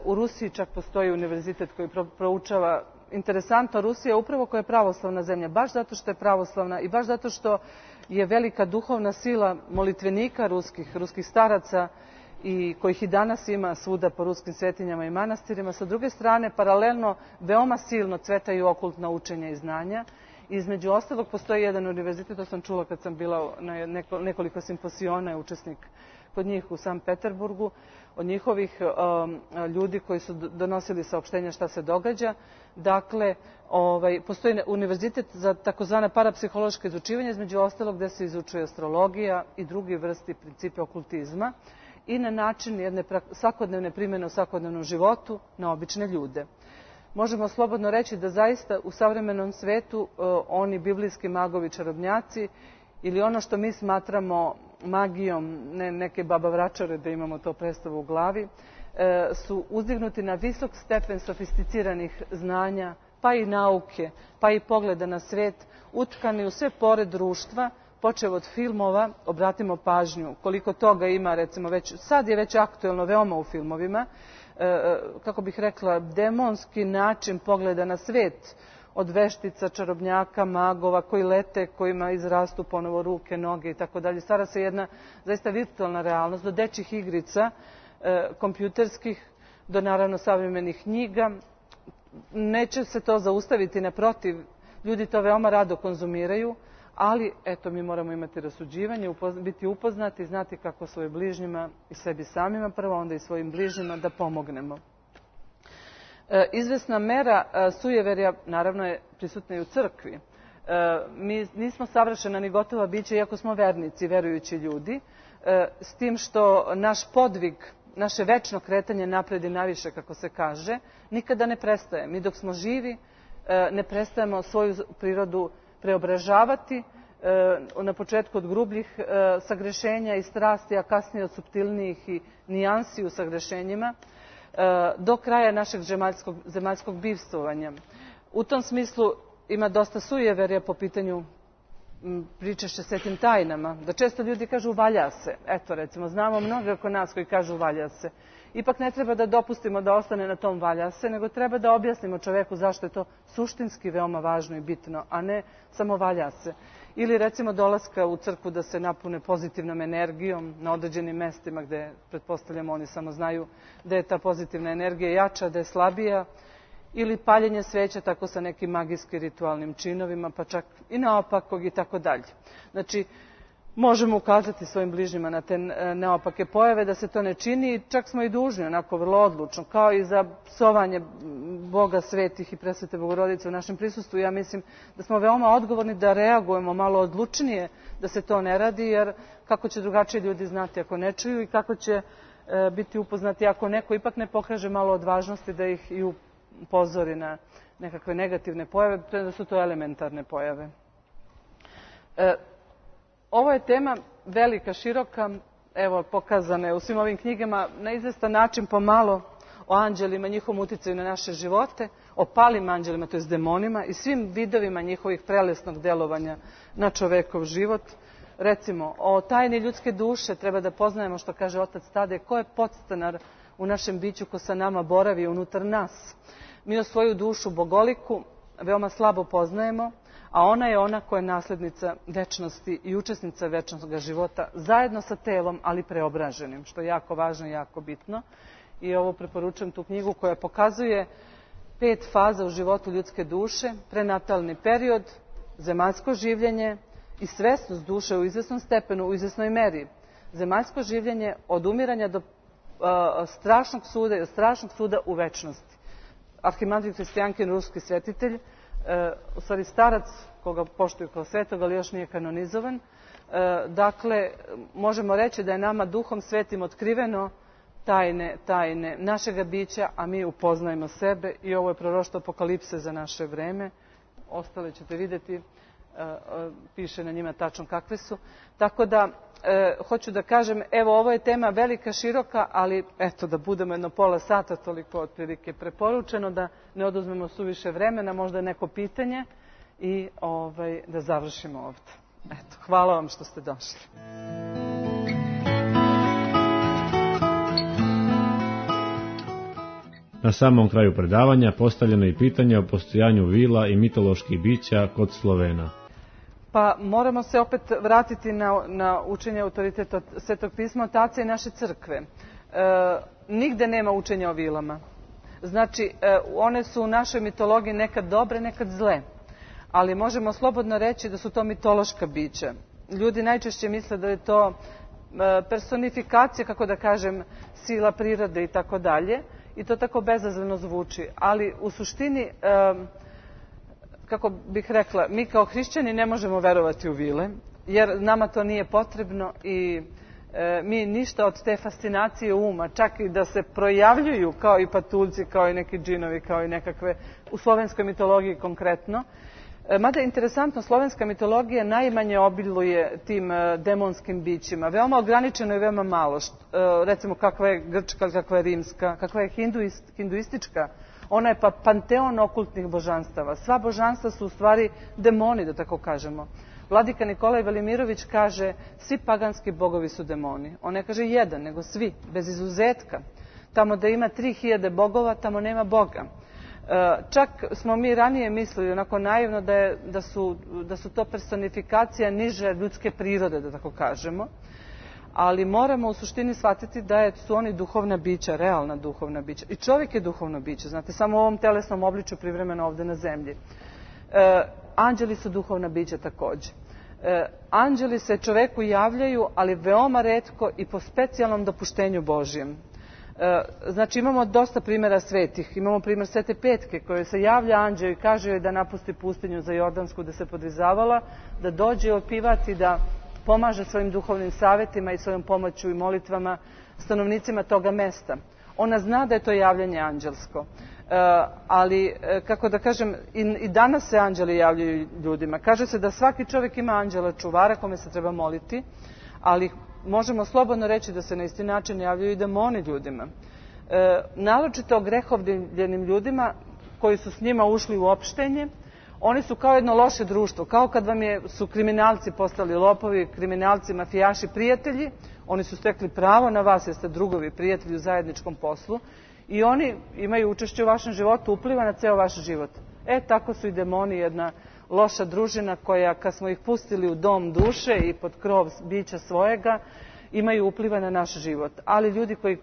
U Rusiji čak postoji univerzitet koji proučava. Interesantno, Rusija upravo koja je pravoslavna zemlja, baš zato što je pravoslavna i baš zato što je velika duhovna sila molitvenika ruskih staraca i kojih i danas ima svuda po ruskim svetinjama i manastirima. Sa druge strane, paralelno, veoma silno cvetaju okultna učenja i znanja. Između ostalog, postoji jedan univerzitet, to sam čula kad sam bila na nekoliko simposiona, učesnik kod njih u Sankt Peterburgu, od njihovih ljudi koji su donosili saopštenja šta se događa. Dakle, postoji univerzitet za takozvane parapsihološke izučivanje, između ostalog gde se izučuje astrologija i drugi vrsti principe okultizma i na način jedne svakodnevne primjene u svakodnevnom životu na obične ljude. Možemo slobodno reći da zaista u savremenom svetu oni biblijski magovi, čarobnjaci ili ono što mi smatramo magijom, ne neke baba vračare da imamo to predstavu u glavi, su uzdignuti na visok stepen sofisticiranih znanja, pa i nauke, pa i pogleda na svet, utkani u sve pore društva, počev od filmova, obratimo pažnju koliko toga ima, recimo sad je već aktuelno veoma u filmovima, kako bih rekla, demonski način pogleda na svet, od veštica, čarobnjaka, magova koji lete, kojima izrastu ponovo ruke, noge i tako dalje. Stvara se jedna zaista virtualna realnost, do dečjih igrica, kompjuterskih, do naravno savremenih knjiga. Neće se to zaustaviti, naprotiv, ljudi to veoma rado konzumiraju, ali eto, mi moramo imati rasuđivanje, biti upoznati, znati kako svojim bližnjima i sebi samima prvo, onda i svojim bližnjima da pomognemo. Izvesna mera sujeverja naravno je prisutna i u crkvi. Mi nismo savršena ni gotova bića, iako smo vernici, verujući ljudi, s tim što naš podvig, naše večno kretanje napred i naviše, kako se kaže, nikada ne prestaje. Mi dok smo živi ne prestajemo svoju prirodu preobražavati, na početku od grubljih sagrešenja i strasti, a kasnije od suptilnijih i nijansi u sagrešenjima, do kraja našeg zemaljskog bivstvovanja. U tom smislu ima dosta sujeverja po pitanju pričešća svetim tajnama, da često ljudi kažu valja se. Eto, recimo, znamo mnogo oko nas koji kažu valja se. Ipak ne treba da dopustimo da ostane na tom valja se, nego treba da objasnimo čoveku zašto je to suštinski veoma važno i bitno, a ne samo valja se. Ili recimo dolaska u crkvu da se napune pozitivnom energijom na određenim mestima gde, pretpostavljamo, oni samo znaju da je ta pozitivna energija jača, da je slabija, ili paljenje sveća tako sa nekim magijskim ritualnim činovima, pa čak i naopakog i tako dalje. Znači, možemo ukazati svojim bližnjima na te neopake pojave, da se to ne čini i čak smo i dužni, onako vrlo odlučno, kao i za psovanje Boga, svetih i presvete Bogorodice u našem prisustvu, ja mislim da smo veoma odgovorni da reagujemo malo odlučnije da se to ne radi, jer kako će drugačije ljudi znati ako ne čuju i kako će biti upoznati ako neko ipak ne pokaže malo odvažnosti da ih i upozori na nekakve negativne pojave, da su to elementarne pojave. Ovo je tema velika, široka, evo pokazana je u svim ovim knjigama na izvestan način pomalo o anđelima, njihovom uticaju na naše živote, o palim anđelima, to jest demonima i svim vidovima njihovih prelesnog delovanja na čovekov život. Recimo, o tajni ljudske duše treba da poznajemo, što kaže otac Tadej, ko je podstanar u našem biću, ko sa nama boravi unutar nas. Mi o svoju dušu bogoliku veoma slabo poznajemo, a ona je ona koja je naslednica večnosti i učesnica večnog života, zajedno sa telom, ali preobraženim, što je jako važno i jako bitno. I ovo preporučujem tu knjigu koja pokazuje 5 faza u životu ljudske duše, prenatalni period, zemaljsko življenje i svesnost duše u izvesnom stepenu, u izvesnoj meri. Zemaljsko življenje od umiranja do strašnog suda i od strašnog suda u večnosti. Arhimandrit Hristijankin, ruski svetitelj, u stvari starac koga poštuju kao svetog, ali još nije kanonizovan. Dakle, možemo reći da je nama Duhom Svetim otkriveno tajne našega bića, a mi upoznajemo sebe i ovo je proroštvo apokalipse za naše vreme. Ostale ćete vidjeti, piše na njima tačno kakve su. Tako da, hoću da kažem, evo ovo je tema velika, široka, ali eto da budemo jedno pola sata, toliko otprilike preporučeno, da ne oduzmemo suviše vremena, možda neko pitanje i da završimo ovdje. Eto, hvala vam što ste došli. Na samom kraju predavanja postavljeno je pitanje o postojanju vila i mitoloških bića kod Slovena. Pa moramo se opet vratiti na učenje autoriteta Svetog pisma od Tace i naše crkve. Nigde nema učenja o vilama. Znači, one su u našoj mitologiji nekad dobre, nekad zle. Ali možemo slobodno reći da su to mitološka bića. Ljudi najčešće misle da je to personifikacija, kako da kažem, sila prirode i tako dalje. I to tako bezazleno zvuči. Ali u suštini, kako bih rekla, mi kao hrišćani ne možemo verovati u vile, jer nama to nije potrebno i mi ništa od te fascinacije uma, čak i da se projavljuju kao i patuljci, kao i neki džinovi, kao i nekakve, u slovenskoj mitologiji konkretno. Mada je interesantno, slovenska mitologija najmanje obiluje tim demonskim bićima. Veoma ograničeno i veoma malo. Recimo kakva je grčka, kakva je rimska, kakva je hinduistička. Ona je pa panteon okultnih božanstava. Sva božanstva su u stvari demoni, da tako kažemo. Vladika Nikolaj Velimirović kaže svi paganski bogovi su demoni. On ne kaže jedan, nego svi, bez izuzetka. Tamo da ima 3000 bogova, tamo nema Boga. Čak smo mi ranije mislili, onako naivno, da su to personifikacija niže ljudske prirode, da tako kažemo. Ali moramo u suštini shvatiti da su oni duhovna bića, realna duhovna bića. I čovjek je duhovno biće, znate, samo u ovom telesnom obličju privremeno ovdje na zemlji. Anđeli su duhovna bića također. Anđeli se čoveku javljaju, ali veoma retko i po specijalnom dopuštenju Božjem. Znači imamo dosta primjera svetih. Imamo primjer Svete Petke kojoj se javlja anđeo i kaže joj da napusti pustinju za Jordansku da se podrizavala, da dođe opivati, da pomaže svojim duhovnim savjetima i svojom pomoću i molitvama stanovnicima toga mesta. Ona zna da je to javljanje anđelsko. Ali, kako da kažem, i danas se anđeli javljaju ljudima. Kaže se da svaki čovjek ima anđela čuvara kome se treba moliti, ali možemo slobodno reći da se na isti način javljaju i demoni ljudima. Naročito grehovljenim ljudima koji su s njima ušli u opštenje, oni su kao jedno loše društvo, kao kad su kriminalci postali lopovi, kriminalci, mafijaši, prijatelji, oni su stekli pravo na vas jer ste drugovi, prijatelji u zajedničkom poslu i oni imaju učešće u vašem životu, upliva na ceo vaš život. Tako su i demoni jedna loša družina koja, kad smo ih pustili u dom duše i pod krov bića svojega, imaju upliva na naš život. Ali ljudi koji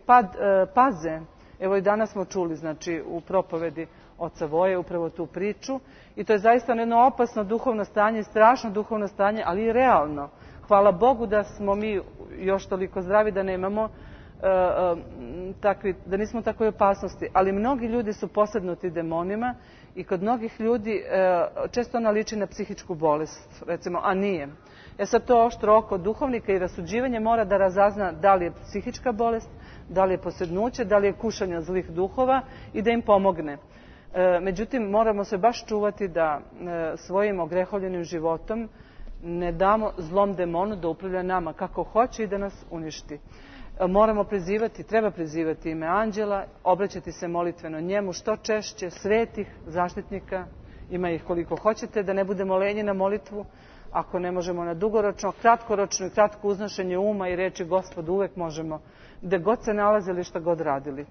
paze, evo i danas smo čuli, znači u propovedi oca Voje upravo tu priču, i to je zaista jedno opasno duhovno stanje, strašno duhovno stanje, ali i realno. Hvala Bogu da smo mi još toliko zdravi da nemamo da nismo u takvoj opasnosti, ali mnogi ljudi su posednuti demonima i kod mnogih ljudi često ona liči na psihičku bolest, recimo, a nije. Sad to oštro oko duhovnika i rasuđivanje mora da razazna da li je psihička bolest, da li je posednuće, da li je kušanje zlih duhova i da im pomogne. Međutim, moramo se baš čuvati da svojim ogrehovljenim životom ne damo zlom demonu da upravlja nama kako hoće i da nas uništi. Moramo treba prizivati ime anđela, obraćati se molitveno njemu što češće, svetih zaštitnika, ima ih koliko hoćete, da ne budemo lenji na molitvu, ako ne možemo na dugoročno, kratkoročno i kratko uznošenje uma i reči Gospodu uvek možemo, gde god se nalazili, šta god radili.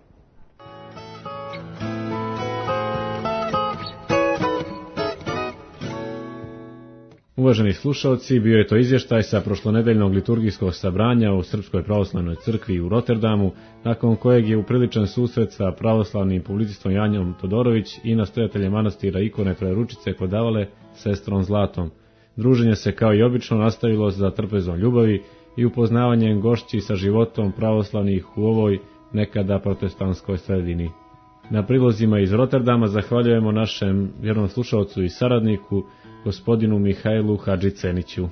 Uvaženi slušalci, bio je to izvještaj sa prošlonedeljnog liturgijskog sabranja u Srpskoj pravoslavnoj crkvi u Rotterdamu, nakon kojeg je upriličan susret sa pravoslavnim publicistom Janjom Todorović i nastojateljem manastira Ikone Trojeručice kod Davale, sestrom Zlatom. Druženje se kao i obično nastavilo za trpezom ljubavi i upoznavanjem gošći sa životom pravoslavnih u ovoj nekada protestantskoj sredini. Na prilozima iz Rotterdama zahvaljujemo našem vjernom slušalcu i saradniku, gospodinu Mihajlu Hadžiceniću.